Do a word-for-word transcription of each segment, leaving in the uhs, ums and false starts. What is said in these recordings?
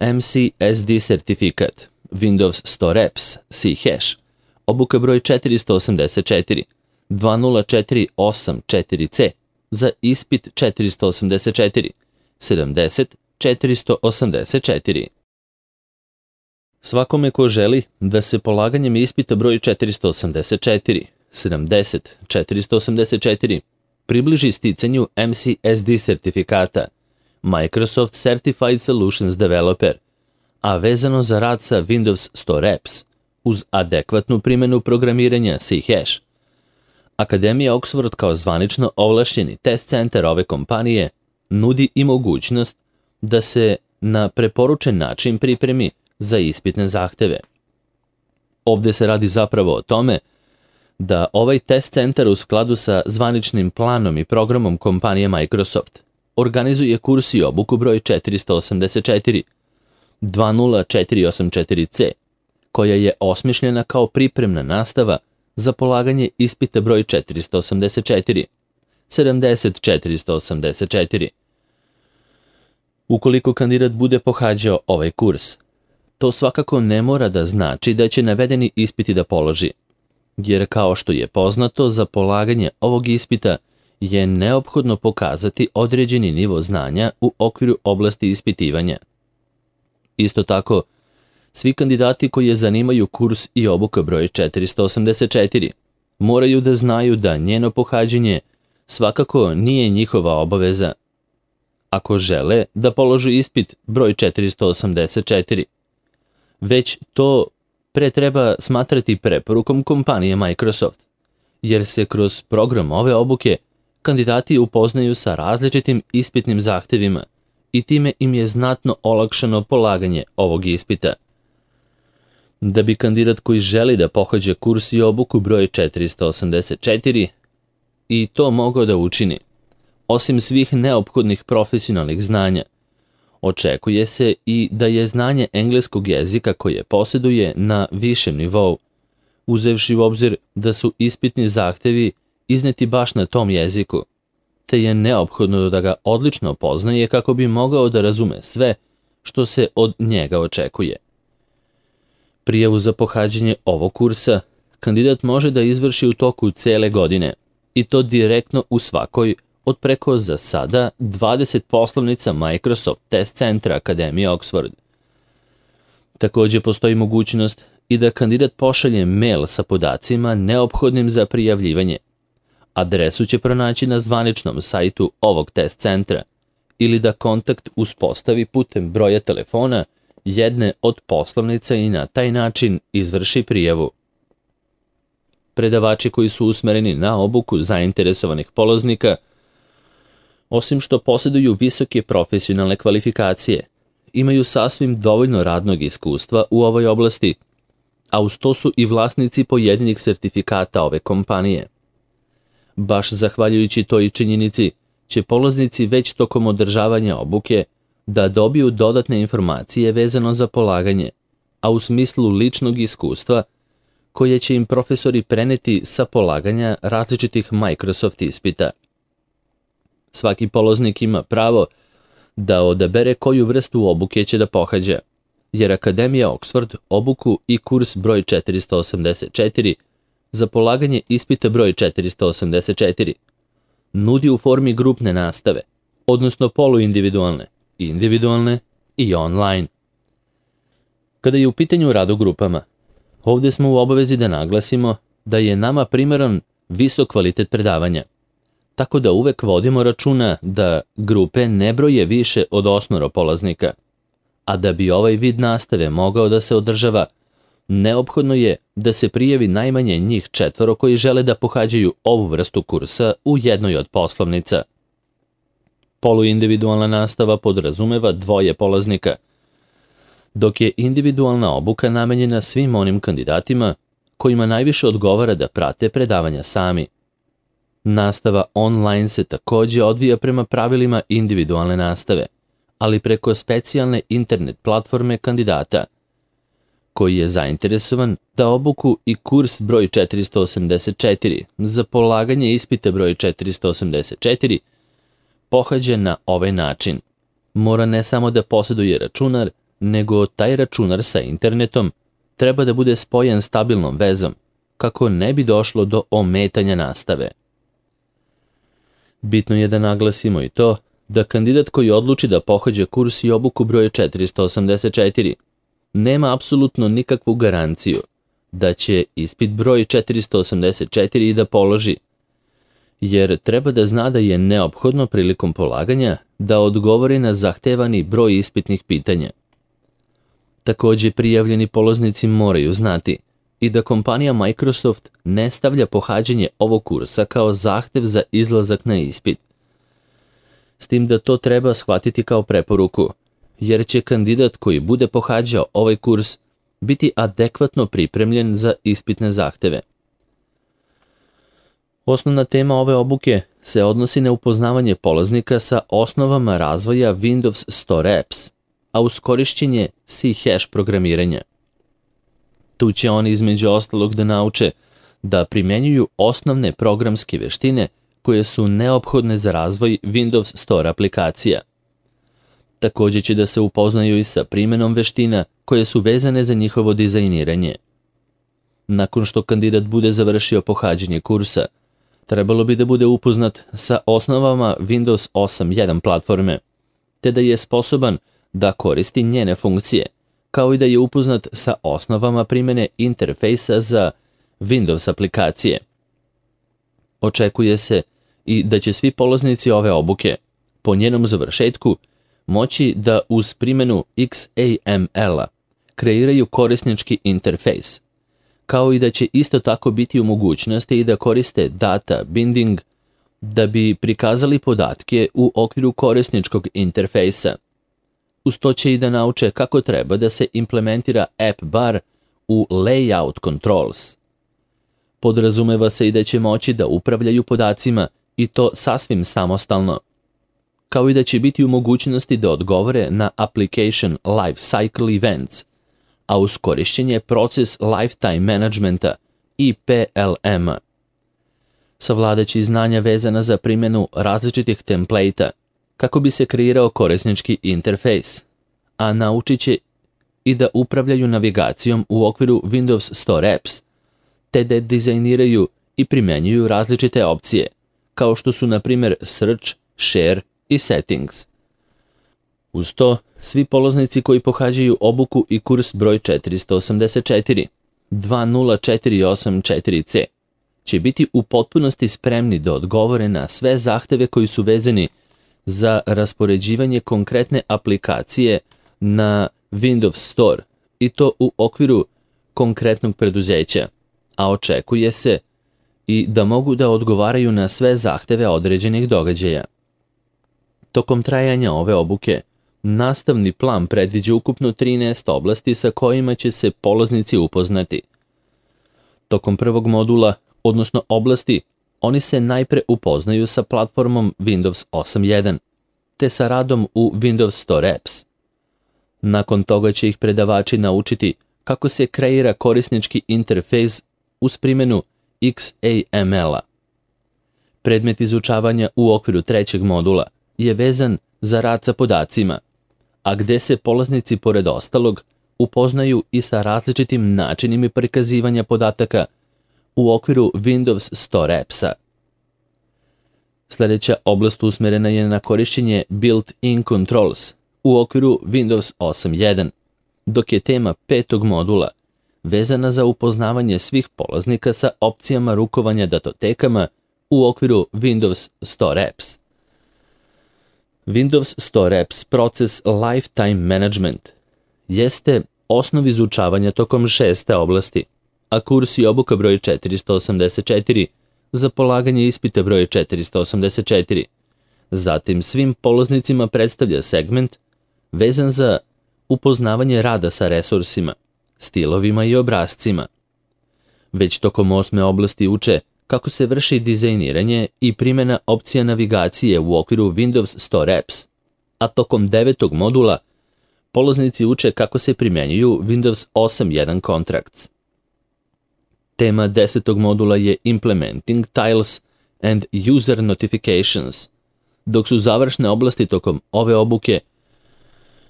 M C S D sertifikat, Windows Store Apps, C-Hash, obuka broj četiristo osamdeset četiri, dva nula četiri osam četiri C za ispit četiristo osamdeset četiri, sedamdeset četiristo osamdeset četiri. Svakome ko želi da se polaganjem ispita broj četiristo osamdeset četiri, sedamdeset četiristo osamdeset četiri približi sticanju M C S D sertifikata Microsoft Certified Solutions Developer, a vezano za rad sa Windows Store Apps uz adekvatnu primjenu programiranja C-Hash, Akademija Oxford kao zvanično ovlašćeni test centar ove kompanije nudi i mogućnost da se na preporučen način pripremi za ispitne zahteve. Ovdje se radi zapravo o tome da ovaj test centar u skladu sa zvaničnim planom i programom kompanije Microsoft organizuje kurs i obuku broj četiristo osamdeset četiri, dva nula četiri osam četiri C, koja je osmišljena kao pripremna nastava za polaganje ispita broj četiristo osamdeset četiri, sedamdeset četiristo osamdeset četiri. Ukoliko kandidat bude pohađao ovaj kurs, to svakako ne mora da znači da će navedeni ispiti da položi, jer kao što je poznato, za polaganje ovog ispita je neophodno pokazati određeni nivo znanja u okviru oblasti ispitivanja. Isto tako, svi kandidati koji je zanimaju kurs i obuka broj četiristo osamdeset četiri moraju da znaju da njeno pohađanje svakako nije njihova obaveza. Ako žele da položu ispit broj četiristo osamdeset četiri, već to pre treba smatrati preporukom kompanije Microsoft, jer se kroz program ove obuke kandidati upoznaju sa različitim ispitnim zahtevima i time im je znatno olakšano polaganje ovog ispita. Da bi kandidat koji želi da pohađa kurs i obuku broj četiristo osamdeset četiri i to mogao da učini, osim svih neophodnih profesionalnih znanja, očekuje se i da je znanje engleskog jezika koje posjeduje na višem nivou, uzevši u obzir da su ispitni zahtevi izneti baš na tom jeziku, te je neophodno da ga odlično poznaje kako bi mogao da razume sve što se od njega očekuje. Prijavu za pohađanje ovog kursa kandidat može da izvrši u toku cele godine, i to direktno u svakoj od preko za sada dvadeset poslovnica Microsoft test centra Akademije Oxford. Također postoji mogućnost i da kandidat pošalje mail sa podacima neophodnim za prijavljivanje. Adresu će pronaći na zvaničnom sajtu ovog test centra ili da kontakt uspostavi putem broja telefona jedne od poslovnica i na taj način izvrši prijavu. Predavači koji su usmereni na obuku zainteresovanih polaznika, osim što posjeduju visoke profesionalne kvalifikacije, imaju sasvim dovoljno radnog iskustva u ovoj oblasti, a uz to su i vlasnici pojedinih sertifikata ove kompanije. Baš zahvaljujući toj činjenici će polaznici već tokom održavanja obuke da dobiju dodatne informacije vezano za polaganje, a u smislu ličnog iskustva koje će im profesori preneti sa polaganja različitih Microsoft ispita. Svaki polaznik ima pravo da odabere koju vrstu obuke će da pohađa, jer Akademija Oxford obuku i kurs broj četiristo osamdeset četiri za polaganje ispita broj četiristo osamdeset četiri nudi u formi grupne nastave, odnosno poluindividualne, individualne i online. Kada je u pitanju rad u grupama, ovdje smo u obavezi da naglasimo da je nama primeran visok kvalitet predavanja, tako da uvek vodimo računa da grupe ne broje više od osmoro polaznika, a da bi ovaj vid nastave mogao da se održava, neophodno je da se prijavi najmanje njih četvoro koji žele da pohađaju ovu vrstu kursa u jednoj od poslovnica. Poluindividualna nastava podrazumeva dvoje polaznika, dok je individualna obuka namenjena svim onim kandidatima kojima najviše odgovara da prate predavanja sami. Nastava online se također odvija prema pravilima individualne nastave, ali preko specijalne internet platforme kandidata, koji je zainteresovan da obuku i kurs broj četiristo osamdeset četiri za polaganje ispita broj četiristo osamdeset četiri pohađa na ovaj način. Mora ne samo da posjeduje računar, nego taj računar sa internetom treba da bude spojen stabilnom vezom, kako ne bi došlo do ometanja nastave. Bitno je da naglasimo i to da kandidat koji odluči da pohađa kurs i obuku broj četiristo osamdeset četiri nema apsolutno nikakvu garanciju da će ispit broj četiristo osamdeset četiri i da položi, jer treba da zna da je neophodno prilikom polaganja da odgovori na zahtevani broj ispitnih pitanja. Takođe, prijavljeni polaznici moraju znati i da kompanija Microsoft ne stavlja pohađanje ovog kursa kao zahtev za izlazak na ispit. S tim da to treba shvatiti kao preporuku, jer će kandidat koji bude pohađao ovaj kurs biti adekvatno pripremljen za ispitne zahteve. Osnovna tema ove obuke se odnosi na upoznavanje polaznika sa osnovama razvoja Windows Store Apps, a uz korišćenje C-hash programiranja. Tu će oni između ostalog da nauče da primenjuju osnovne programske veštine koje su neophodne za razvoj Windows Store aplikacija. Takođe će da se upoznaju i sa primenom veština koje su vezane za njihovo dizajniranje. Nakon što kandidat bude završio pohađanje kursa, trebalo bi da bude upoznat sa osnovama Windows osam jedan platforme, te da je sposoban da koristi njene funkcije, kao i da je upoznat sa osnovama primene interfejsa za Windows aplikacije. Očekuje se i da će svi polaznici ove obuke, po njenom završetku, moći da uz primenu X A M L-a kreiraju korisnički interfejs, kao i da će isto tako biti u mogućnosti i da koriste data binding da bi prikazali podatke u okviru korisničkog interfejsa. Uz to će i da nauče kako treba da se implementira app bar u layout controls. Podrazumeva se i da će moći da upravljaju podacima i to sasvim samostalno, kao i da će biti u mogućnosti da odgovore na application life cycle events, a uz korišćenje proces lifetime managementa i P L M-a. Savladaće znanja vezana za primjenu različitih templejta kako bi se kreirao korisnički interfejs, a naučit će i da upravljaju navigacijom u okviru Windows Store Apps, te da dizajniraju i primenjuju različite opcije, kao što su na primjer Search, Share i Settings. Uz to, svi polaznici koji pohađaju obuku i kurs broj četiristo osamdeset četiri dva nula četiri osam četiri C će biti u potpunosti spremni da odgovore na sve zahteve koji su vezani za raspoređivanje konkretne aplikacije na Windows Store i to u okviru konkretnog preduzeća, a očekuje se i da mogu da odgovaraju na sve zahteve određenih događaja. Tokom trajanja ove obuke, nastavni plan predviđa ukupno trinaest oblasti sa kojima će se polaznici upoznati. Tokom prvog modula, odnosno oblasti, oni se najpre upoznaju sa platformom Windows osam jedan, te sa radom u Windows Store Apps. Nakon toga će ih predavači naučiti kako se kreira korisnički interfejs uz primjenu X A M L-a. Predmet izučavanja u okviru trećeg modula je vezan za rad sa podacima, a gde se polaznici pored ostalog upoznaju i sa različitim načinima prikazivanja podataka u okviru Windows Store Apps-a. Sljedeća oblast usmerena je na korišćenje built-in controls u okviru Windows osam jedan, dok je tema petog modula vezana za upoznavanje svih polaznika sa opcijama rukovanja datotekama u okviru Windows Store Apps. Windows Store Apps proces Lifetime Management jeste osnov izučavanja tokom šeste oblasti, a kurs i obuka broj četiristo osamdeset četiri za polaganje ispita broj četiristo osamdeset četiri. Zatim svim polaznicima predstavlja segment vezan za upoznavanje rada sa resursima, stilovima i obrascima. Već tokom osme oblasti uče kako se vrši dizajniranje i primjena opcija navigacije u okviru Windows Store Apps, a tokom devetog modula polaznici uče kako se primjenjuju Windows osam jedan Contracts. Tema desetog modula je Implementing Tiles and User Notifications, dok su završne oblasti tokom ove obuke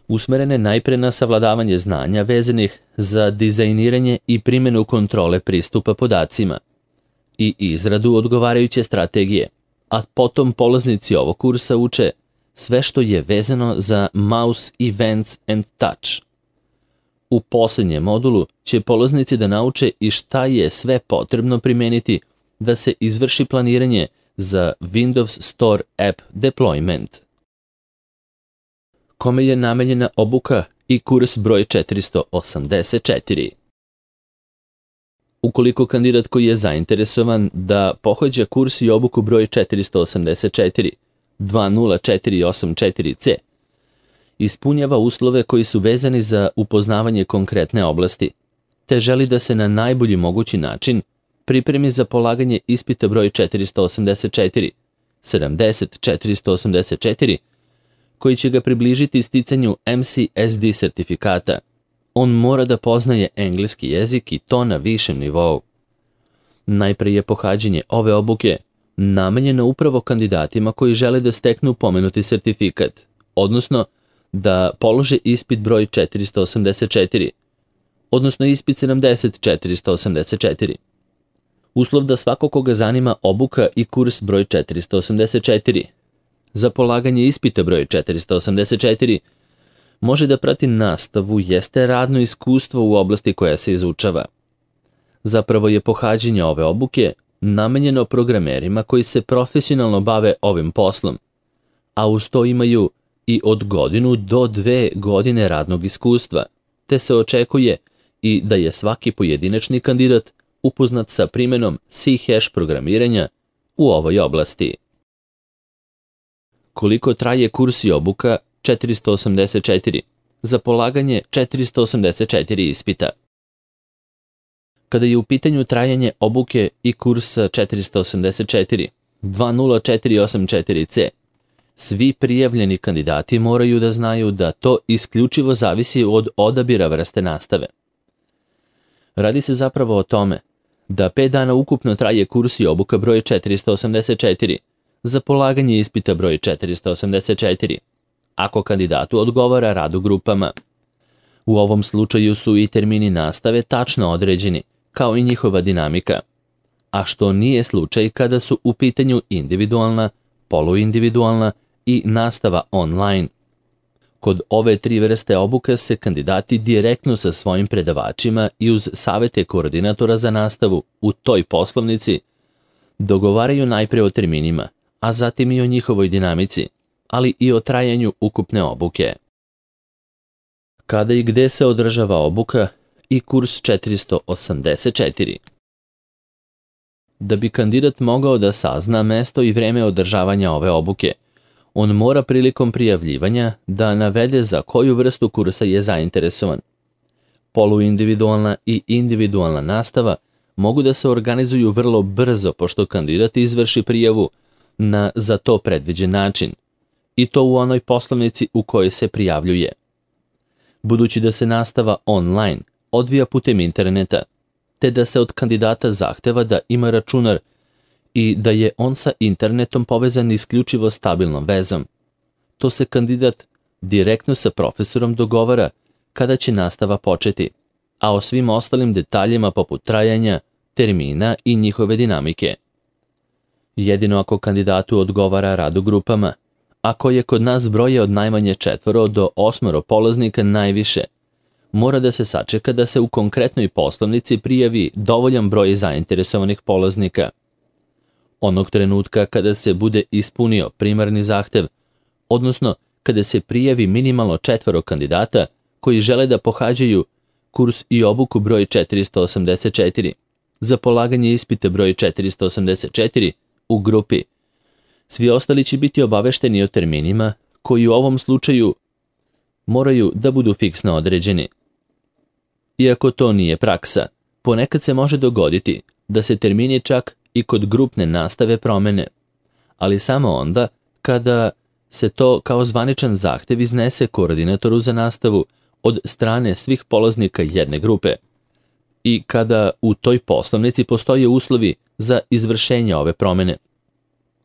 usmerene najpre na savladavanje znanja vezanih za dizajniranje i primjenu kontrole pristupa podacima i izradu odgovarajuće strategije, a potom polaznici ovog kursa uče sve što je vezano za Mouse Events and Touch. U posljednjem modulu će polaznici da nauče i šta je sve potrebno primeniti da se izvrši planiranje za Windows Store App Deployment. Kome je namenjena obuka i kurs broj četiristo osamdeset četiri. Ukoliko kandidat koji je zainteresovan da pohađa kurs i obuku broj četiristo osamdeset četiri dva nula četiri osam četiri C ispunjava uslove koji su vezani za upoznavanje konkretne oblasti, te želi da se na najbolji mogući način pripremi za polaganje ispita broj četiristo osamdeset četiri sedamdeset četiristo osamdeset četiri, koji će ga približiti sticanju M C S D sertifikata, on mora da poznaje engleski jezik i to na višem nivou. Najpre je pohađanje ove obuke namenjeno upravo kandidatima koji žele da steknu pomenuti sertifikat, odnosno da polože ispit broj četiristo osamdeset četiri, odnosno ispit sedamdeset četiristo osamdeset četiri. Uslov da svako koga zanima obuka i kurs broj četiristo osamdeset četiri za polaganje ispita broj četiristo osamdeset četiri može da prati nastavu jeste radno iskustvo u oblasti koja se izučava. Zapravo je pohađanje ove obuke namenjeno programerima koji se profesionalno bave ovim poslom, a uz to imaju i od godinu do dve godine radnog iskustva, te se očekuje i da je svaki pojedinačni kandidat upoznat sa primjenom C-hash programiranja u ovoj oblasti. Koliko traje kurs i obuka četiristo osamdeset četiri za polaganje četiristo osamdeset četiri ispita? Kada je u pitanju trajanje obuke i kursa četiristo osamdeset četiri dva nula četiri osam četiri C, svi prijavljeni kandidati moraju da znaju da to isključivo zavisi od odabira vrste nastave. Radi se zapravo o tome da pet dana ukupno traje kurs i obuka broj četiristo osamdeset četiri za polaganje ispita broj četiristo osamdeset četiri, ako kandidatu odgovara rad u grupama. U ovom slučaju su i termini nastave tačno određeni, kao i njihova dinamika, a što nije slučaj kada su u pitanju individualna, poluindividualna i nastava online. Kod ove tri vrste obuka se kandidati direktno sa svojim predavačima i uz savete koordinatora za nastavu u toj poslovnici dogovaraju najpre o terminima, a zatim i o njihovoj dinamici, ali i o trajanju ukupne obuke. Kada i gde se održava obuka i kurs četiristo osamdeset četiri? Da bi kandidat mogao da sazna mesto i vreme održavanja ove obuke, on mora prilikom prijavljivanja da navede za koju vrstu kursa je zainteresovan. Poluindividualna i individualna nastava mogu da se organizuju vrlo brzo pošto kandidat izvrši prijavu na za to predviđen način, i to u onoj poslovnici u kojoj se prijavljuje. Budući da se nastava online odvija putem interneta, te da se od kandidata zahteva da ima računar i da je on sa internetom povezan isključivo stabilnom vezom, to se kandidat direktno sa profesorom dogovara kada će nastava početi, a o svim ostalim detaljima poput trajanja, termina i njihove dinamike. Jedino ako kandidatu odgovara rad u grupama, ako je kod nas broje od najmanje četvoro do osmoro polaznika najviše, mora da se sačeka da se u konkretnoj poslovnici prijavi dovoljan broj zainteresovanih polaznika. Onog trenutka kada se bude ispunio primarni zahtev, odnosno kada se prijavi minimalno četvoro kandidata koji žele da pohađaju kurs i obuku broj četiristo osamdeset četiri za polaganje ispita broj četiristo osamdeset četiri u grupi, svi ostali će biti obavešteni o terminima koji u ovom slučaju moraju da budu fiksno određeni. Iako to nije praksa, ponekad se može dogoditi da se termini čak i kod grupne nastave promene, ali samo onda kada se to kao zvaničan zahtev iznese koordinatoru za nastavu od strane svih polaznika jedne grupe i kada u toj poslovnici postoje uslovi za izvršenje ove promene,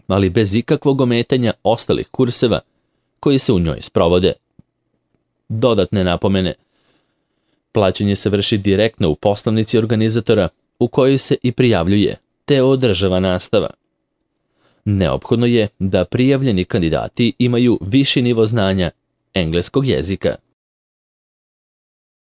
ali bez ikakvog ometanja ostalih kurseva koji se u njoj sprovode. dodatne napomene. Plaćanje se vrši direktno u poslovnici organizatora u kojoj se i prijavljuje, te održava nastava. Neophodno je da prijavljeni kandidati imaju viši nivo znanja engleskog jezika.